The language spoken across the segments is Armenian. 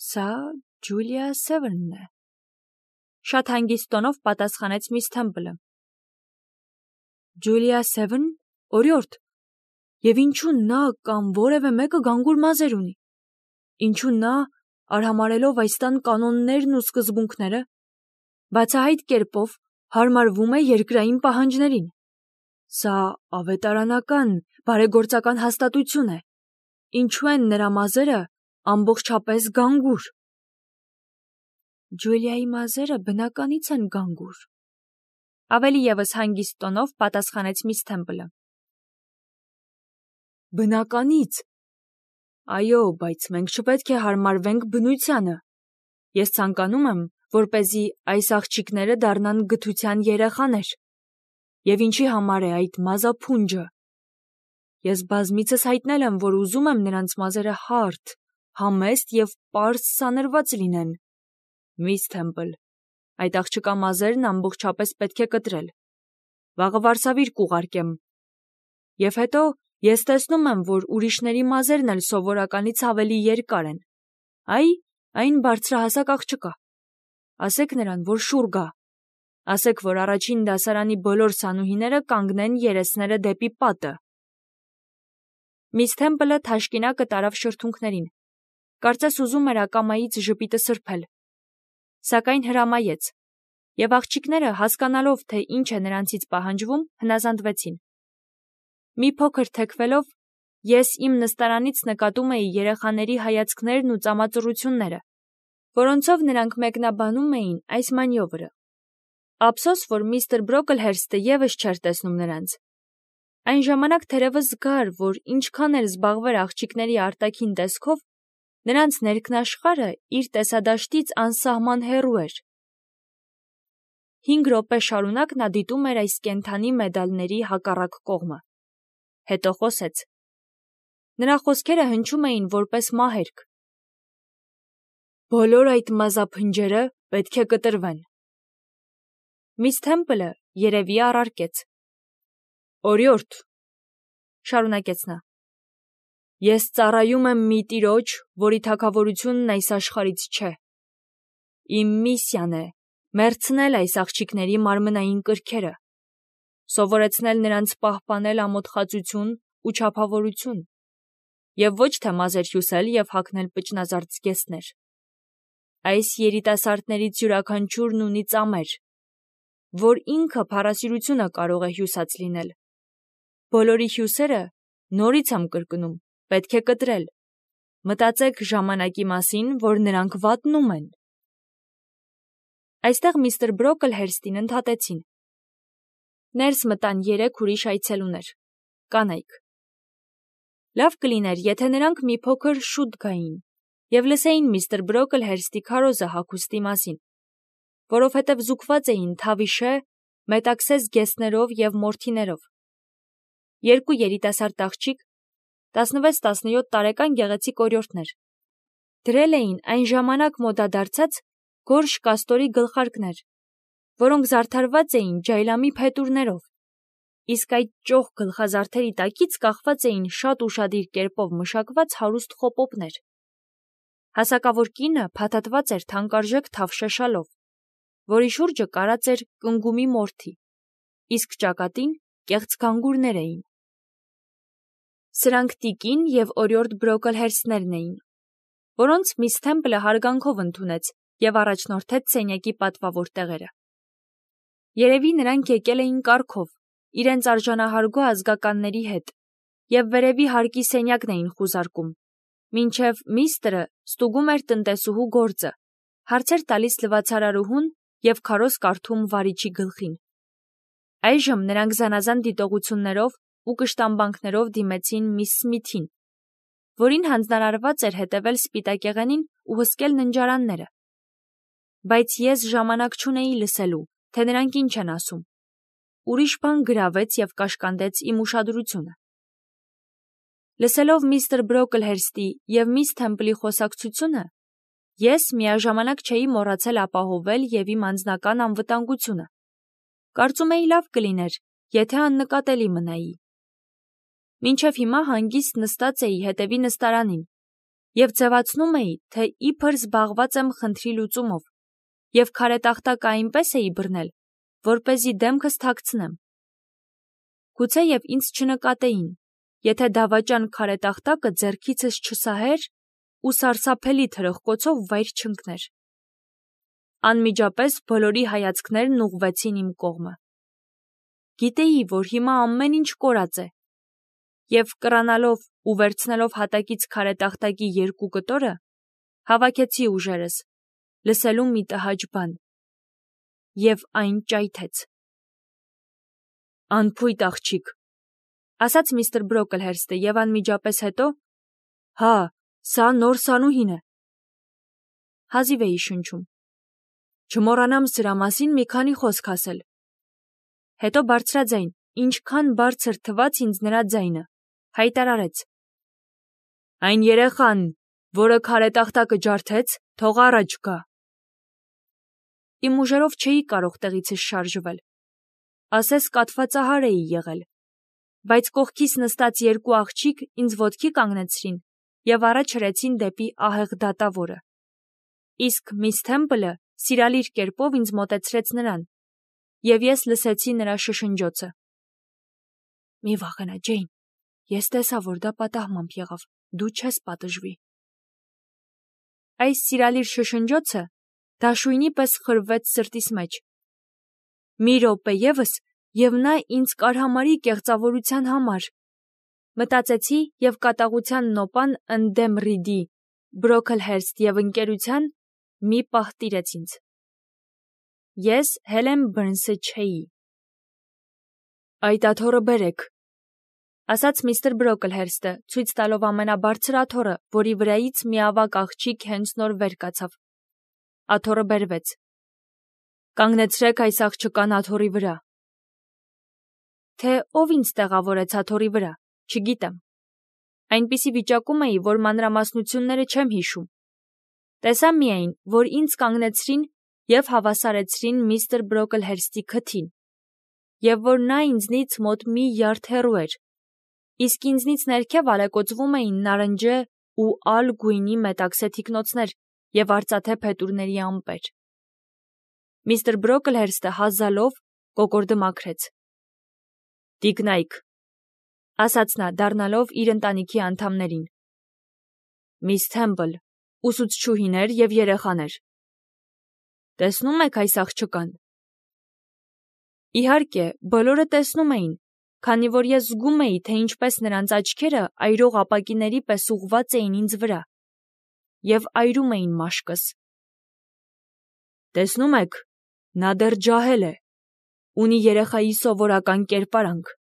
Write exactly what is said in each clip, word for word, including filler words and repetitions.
Սա Ջուլիա Սևերնն է։ Շատ հանգիստ տոնով պատասխանեց միս Թեմպլը։ Ջուլիա Սևերն, օրիորդ, եւ ինչու նա կամ որևէ մեկը գանգուր մազեր ունի։ Ինչու նա, արհամարելով այս տան կանոններն ու սկզբունքները, բացահայտ կերպով հարմարվում է երկրային պահանջներին։ Սա ավետարանական, բարեգործական հաստատություն է։ Ինչու են նրա մազերը ամբողջապես գանգուր։ Ջուլիայի մազերը բնականից են գանգուր։ Ավելի ևս հանգիստ տոնով պատասխանեց միս Թեմպլը։ Բնականից։ Այո, բայց մենք չպետք է հարմարվենք բնությանը։ Ես ցանկանում եմ, որպեսզի այս աղջիկները դառնան գթության երեխաներ։ Եվ ինչի համար է այդ մազափունջը։ Ես բազմիցս հայտնել եմ, որ ուզում եմ նրանց մազերը հարթ, համեստ եւ պարզ սանրված լինեն։ Միս Թեմպլ, այդ աղջկա մազերն ամբողջապես պետք է կտրել։ Վաղը վարսավիր կուղարկեմ։ Եվ հետո ես տեսնում եմ, որ ուրիշների մազերն էլ սովորականից ավելի երկար են։ Այ, այն բարձրահասակ աղջկա։ Ասեք նրան, որ շուռ գա։ Ասեք, որ առաջին դասարանի բոլոր սանուհիները կանգնեն երեսները դեպի պատը։ Միս Թեմպլը թաշկինակը տարավ շրթունքներին։ Կարծես ուզում էր ակամայից ժպիտը սրբել։ Սակայն հրամայեց, եւ աղջիկները, հասկանալով, թե ինչ է նրանցից պահանջվում, հնազանդվեցին։ Մի փոքր թեքվելով, ես իմ նստարանից նկատում էի երեխաների հայացքներն ու ծամածռությունները, որոնցով նրանք մեկնաբանում էին այս մանյովրը։ Ափսոս, որ միստր Բրոկլհերստը եւս չէր տեսնում նրանց։ Այն ժամանակ թերևս զգար, որ ինչքան էլ զբաղվեր աղջիկների արտաքին տեսքով, նրանց ներքնաշխարհը իր տեսադաշտից անսահման հեռու էր։ Հինգ րոպե շարունակ նա դիտում էր այս կենդանի մեդալների հակառակ կողմը։ Հետո խոսեց։ Նրա խոսքերը հնչում էին որպես մահերգ։ Բոլոր այդ մազափնջերը պետք է կտրվեն։ Միս Թեմպլը երևի առարկեց։ Օրիորդ, շարունակեց նա, ես ծառայում եմ մի տիրոջ, որի թագավորությունն այս աշխարհից չէ։ Իմ միսիան է մեռցնել այս աղջիկների մարմնային կրքերը, սովորեցնել նրանց պահպանել ամոթխածություն ու չափավորություն, եւ ոչ թե մազեր հյուսել եւ հագնել պճնազարդ զգեստներ։ Այս երիտասարդներից յուրաքանչյուրն ունի ծամեր, որ ինքը փառասիրությունը կարող է հյուսած լինել։ Բոլորի հյուսերը, նորից եմ կրկնում, պետք է կտրել։ Մտածեք ժամանակի մասին, որ նրանք վատնում են։ Այստեղ միստր Բրոկլհերստին ընդհատեցին։ Ներս մտան երեք ուրիշ այցելուներ, կանայք։ Լավ կլիներ, եթե նրանք մի փոքր շուտ գային եւ լսեին միստր Բրոկլհերստի քարոզը հագուստի մասին, որովհետև զուգված էին թավիշե, մետաքսե զգեստներով եւ մորթիներով։ Երկու երիտասարդ աղջիկ, տասնվեց տասնյոթ տարեկան գեղեցիկ օրիորդներ, դրել էին այն ժամանակ մոդադարձած գորշ կաստորի գլխարկներ, որոնք զարդարված էին ջայլամի փետուրներով, իսկ այդ ճոխ գլխազարդերի տակից կախված էին շատ ուշադիր կերպով մշակված հարուստ խոպոպներ։ Հասակավոր կինը փաթաթված էր թանկարժեք թավշե շալով, որի շուրջը կարած էր կնգումի մորթի, իսկ ճակատին կեղծ գանգուրներ էին։ Սրանք տիկին եւ օրիորդ Բրոկլհերստներն էին, որոնց միս Թեմպլը հարգանքով ընդունեց եւ առաջնորդեց սենյակի պատվավոր տեղերը։ Երևի նրանք եկել էին կառքով, իրենց արժանահարգո ազգականների հետ, եւ վերևի հարկի սենյակն էին խուզարկում, մինչև միստրը ստուգում էր տնտեսուհու գործը, հարցեր տալիս լվացարարուհուն եւ քարոզ կարդում վարիչի գլխին։ Այժմ նրանք զանազան դիտողություններով ու կշտամբանքներով դիմեցին միս Սմիթին, որին հանձնարարված էր հետևել սպիտակեղենին ու հսկել ննջարանները։ Բայց ես ժամանակ չունեի լսելու, թե նրանք ինչ են ասում։ Ուրիշ բան գրավեց եւ կաշկանդեց իմ ուշադրությունը։ Լսելով միստր Բրոկլհերստի եւ միս Թեմպլի խոսակցությունը, ես միաժամանակ չէի մոռացել ապահովել եւ իմ անձնական անվտանգությունը։ Կարծում էի լավ կլիներ, եթե աննկատելի մնայի։ Մինչև հիմա հանգիստ նստած էի հետևի նստարանին, և ձևացնում էի, թե իբր զբաղված եմ խնդրի լուծումով, և քարետախտակը այնպես էի բռնել, որպեսզի դեմքս թաքցնեմ։ Գուցեև ինձ չնկատեին, եթե դավաճան քարետախտակը ձեռքիցս չսահեր ու սարսափելի թրխկոցով վայր չընկներ։ Անմիջապես բոլորի հայացքներն ուղղվեցին իմ կողմը։ Գիտեի, որ հիմա ամեն ինչ կորած է, և կռանալով ու վերցնելով հատակից քարետախտակի երկու կտորը, հավաքեցի ուժերս, լսելու մի տհաճ բան, և այն ճայթեց։ «Անփույթ աղջիկ», ասաց միստր Բրոկլհերստը և անմիջապես հետո. «Հա, սա նոր սանուհին է»։ Հազիվ էի շնչում։ «Չմոռանամ սրա մասին մի քանի խոսք ասել»։ Հետո բարձրաձայն, ինչքան բարձր թվաց ինձ նրա ձայնը, հայտարարեց. «Այն երեխան, որը քարետախտակը ջարդեց, թող առաջ գա»։ Իմ ուժերով չէի կարող տեղիցս շարժվել, ասես կաթվածահար էի եղել, բայց կողքիս նստած երկու աղջիկ ինձ ոտքի կանգնեցրին և առաջ հրեցին դեպի ահեղ դատավորը, իսկ միս Թեմպլը սիրալիր կերպով ինձ մոտեցրեց նրան, և ես լսեցի նրա շշնջոցը. «Մի վախենա, Ջեյն, ես տեսա, որ դա պատահմամբ եղավ, դու չես պատժվի»։ Այս սիրալիր շշնջոցը դաշույնի պես խրվեց սրտիս մեջ։ Մի րոպե ևս, և նա ինձ կարհամարի կեղծավորության համար, մտածեցի և կատաղության նոպան ընդդեմ Ռիդի, Բրոքլհերստ և ընկերության մի պահ տիրեց ինձ։ Ես Հելեն Բըրնսը չէի։ «Այդ աթոռը բերեք», ասաց միստր Բրոկլհերստը, ցույց տալով ամենաբարձր աթոռը, որի վրայից մի ավագ աղջիկ հենց նոր վեր կացավ։ Աթոռը բերվեց։ «Կանգնեցրեք այս աղջկան աթոռի վրա»։ Թե ով ինձ տեղավորեց աթոռի վրա, չգիտեմ։ Այնպիսի վիճակում էի, որ մանրամասնությունները չեմ հիշում։ Տեսա միայն, որ ինձ կանգնեցրին և հավասարեցրին միստր Բրոկլհերստի քթին, և որ նա ինձնից մոտ մի յարդ հեռու էր, իսկ ինձնից ներքև ալեկոծվում էին նարնջե ու ալ գույնի մետաքսե թիկնոցներ և արծաթե փետուրների ամպեր։ Միստր Բրոկլհերստը հազալով կոկորդը մաքրեց։ «Տիկնայք», ասաց նա, դառնալով իր ընտանիքի անդամներին։ «Միս Թեմպլ, ուսուցչուհիներ և երեխաներ, տեսնո՞ւմ եք այս աղջկան»։ Իհարկե, բոլորը տեսնում էին, քանի որ ես զգում էի, թե ինչպես նրանց աչքերը այրող ապակիների պես ուղղված էին ինձ վրա և այրում էին մաշկս։ «Տեսնո՞ւմ եք, նա դեռ ջահել է, ունի երեխայի սովորական կերպարանք։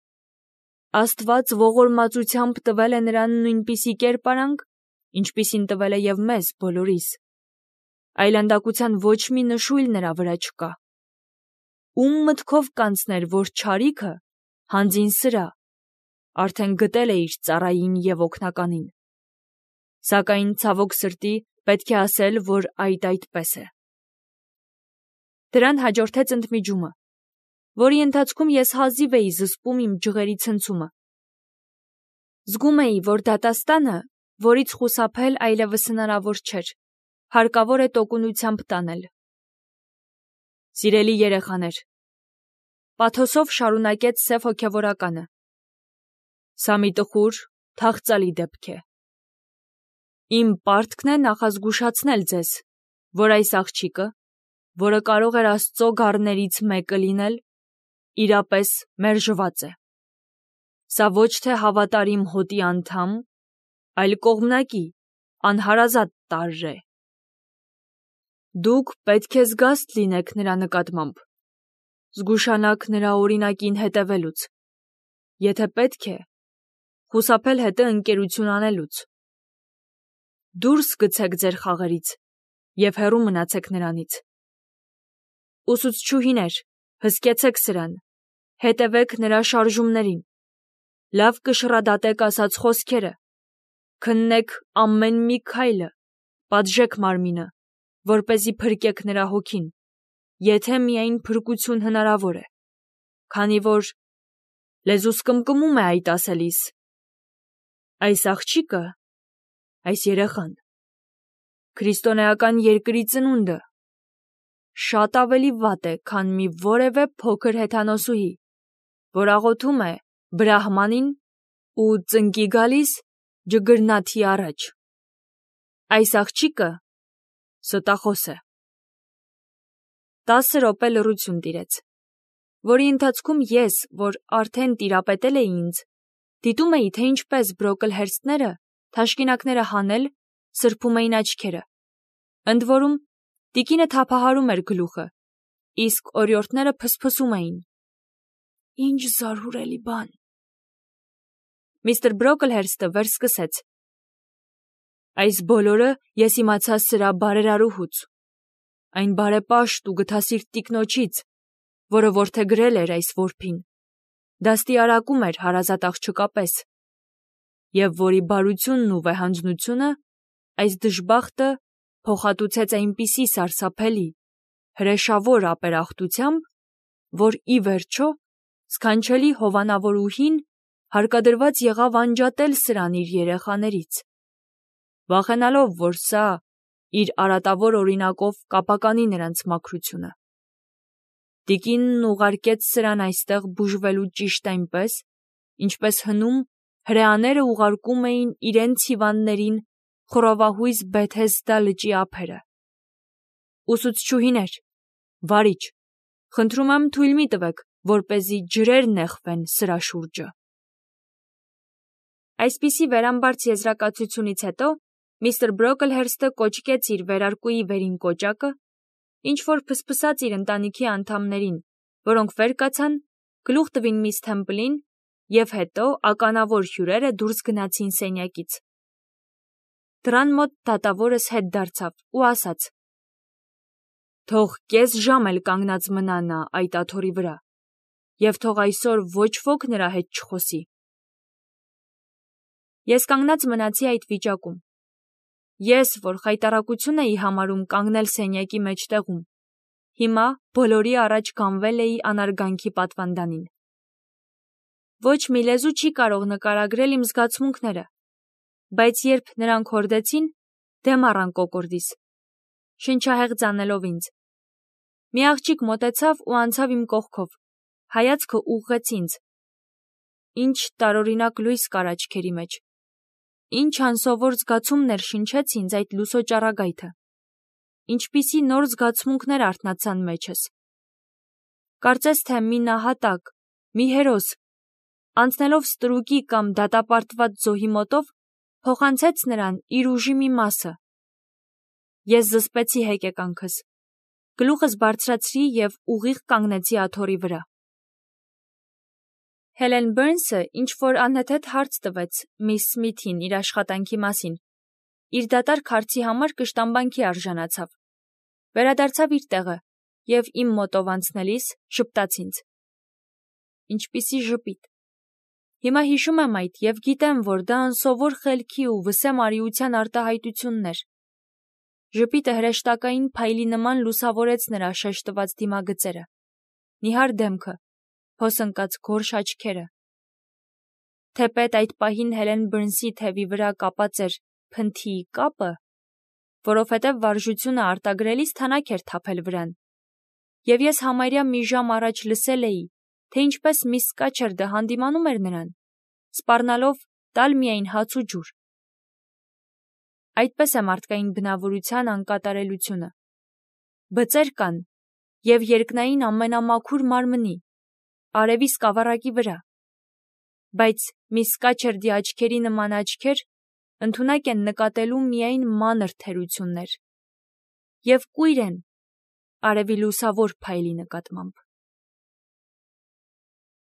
Աստված ողորմածությամբ տվել է նրան նույնպիսի կերպարանք, ինչպիսին տվել է և մեզ բոլորիս։ Այլանդակության ոչ մի նշույլ նրա վրա չկա։ Ում մտքով կանցներ, որ չարիքը, հանձին սրա, արդեն գտել է իր ծառային և օգնականին։ Սակայն, ցավոք սրտի, պետք է ասել, որ այդ այդպես է»։ Դրան հաջորդեց ընդմիջումը, որի ընթացքում ես հազիվ էի զսպում իմ ջղերի ցնցումը։ Զգում էի, որ դատաստանը, որից խուսափել այլևս հնարավոր չէր, հարկավոր է տոկունությամբ տանել։ «Սիրելի երեխաներ», պաթոսով շարունակեց սև հոգևորականը, «սա մի տխուր, թախծալի դեպք է։ Իմ պարտքն է նախազգուշացնել ձեզ, որ այս աղջիկը, որը կարող էր Աստծո գառներից մեկը լինել, իրապես մերժված է։ Սա ոչ թե հավատարիմ հոտի անդամ, այլ կողմնակի, անհարազատ տարր է։ Դուք պետք է զգաստ լինեք նրա նկատմամբ, զգուշանաք նրա օրինակին հետևելուց, եթե պետք է, խուսափել հետը ընկերություն անելուց։ Դուրս գցեք ձեր խաղերից և հեռու մնացեք նրանից։ Ուսուցչուհիներ, հսկեցեք սրան, հետևեք նրա շարժումներին, լավ կշռադատեք ասած խոսքերը, քննեք ամեն մի քայլը, պատժեք մարմինը, որպեսզի փրկեք նրա հոգին, եթե միայն փրկություն հնարավոր է, քանի որ լեզուս կմկմում է այդ ասելիս. այս աղջիկը, այս երեխան քրիստոնեական երկրի ծնունդը շատ ավելի վատ է, քան մի որևէ փոքր հեթանոսուհի, որ աղոթում է Բրահմանին ու ծնկի գալիս ջգրնաթի առաջ։ Այս աղջիկը ստախոս է։ Տասը րոպե լռություն տիրեց, որի ընթացքում ես, որ արդեն տիրապետել էի ինձ, դիտում էի, թե ինչպես Բրոկլհերստները թաշկինակները հանել սրբում էին աչքերը։ Ընդ որում, տիկինը թափահարում էր գլուխը, իսկ օրիորդները փսփսում էին։ Ինչ զարհուրելի բան։ Միստր Բրոկլհերստը վերսկսեց. Այս բոլորը ես իմացա սրա բարերարուհուց, այն բարեպաշտ ու գթասիրտ տիկնոջից, որը որդեգրել էր այս որբին, դաստիարակում էր հարազատ աղջկա պես, և որի բարությունն ու վեհանձնությունը այս դժբախտը փոխհատուցեց այնպիսի սարսափելի, հրեշավոր ապերախտությամբ, որ ի վերջո սքանչելի հովանավորուհին հարկադրված եղավ անջատել սրան իր երեխաներից, վախենալով, որ սա իր արատավոր օրինակով կապականի նրանց մաքրությունը։ Տիկինն ուղարկեց սրան այստեղ բուժվելու ճիշտ այնպես, ինչպես հնում հրեաները ուղարկում էին իրենց հիվանդներին խռովահույզ Բեթեսդա լճի ափերը։ Ուսուցչուհիներ, վարիչ, խնդրում եմ թույլ մի տվեք, որպեսզի ջրեր նեխվեն սրա շուրջը։ Այսպիսի վերամբարձ եզրակացությունից հետո միստր Բրոկլհերստը կոճկեց իր վերարկուի վերին կոճակը, ինչ-որ փսփսաց իր ընտանիքի անդամներին, որոնք վեր կացան, գլուխ տվին միս Թեմպլին, և հետո ականավոր հյուրերը դուրս գնացին սենյակից։ Դռան մոտ դատավորս հետ դարձավ ու ասաց. «Թող կես ժամ էլ կանգնած մնա նա այդ աթոռի վրա, և թող այսօր ոչ ոք նրա հետ չխոսի»։ Ես կանգնած մնացի այդ վիճակում։ Ես, որ խայտառակություն էի համարում կանգնել սենյակի մեջտեղում, հիմա բոլորի առաջ գանվել էի անարգանքի պատվանդանին։ Ոչ մի լեզու չի կարող նկարագրել իմ զգացմունքները, բայց երբ նրանք հորդեցին, դեմ առան կոկորդիս, շնչահեղձ անելով ինձ։ Մի աղջիկ մոտեցավ ու անցավ իմ կողքով, հայացքը ուղղեց ինձ։ Ինչ տարօրինակ լույս կար աչքերի մեջ, ինչ անսովոր զգացումներ շնչեց ինձ այդ լուսո ճառագայթը, ինչպիսի նոր զգացմունքներ արթնացան մեջս։ Կարծես թե մի նահատակ, մի հերոս, անցնելով ստրուկի կամ դատապարտված զոհի մոտով, փոխանցեց նրան իր ուժի մի մասը։ Ես զսպեցի հեկեկանքս, գլուխս բարձրացրի և ուղիղ կանգնեցի աթոռի վրա։ Հելեն Բըրնսը ինչ-որ անհեթեթ հարց տվեց միս Սմիթին իր աշխատանքի մասին, իր դատարկ հարցի համար կշտամբանքի արժանացավ, վերադարձավ իր տեղը և իմ մոտով անցնելիս ժպտաց ինձ։ Ինչպիսի ժպիտ։ Հիմա հիշում եմ այդ և գիտեմ, որ դա անսովոր խելքի ու վսեմ արիության արտահայտությունն էր։ Ժպիտը հրեշտակային փայլի նման լուսավորեց նրա շեշտված դիմագծերը, նիհար դեմքը, հոսընկած գորշ աչքերը։ Թեպետ այդ պահին Հելեն Բըրնսի թևի վրա կապած էր փնթիի կապը, որովհետև վարժությունը արտագրելիս թանաք էր թափել վրան, և ես համարյա մի ժամ առաջ լսել էի, թե ինչպես միս Սկաչերդը հանդիմանում էր նրան, սպառնալով տալ միայն հաց ու ջուր։ Այդպես է մարդկային բնավորության անկատարելությունը։ Բծեր կան և երկնային ամենամաքուր մարմնի, արևի սկավառակի վրա, բայց միս Սկաչերդի աչքերի նման աչքեր ընդունակ են նկատելու միայն մանր թերություններ և կույր են արևի լուսավոր փայլի նկատմամբ։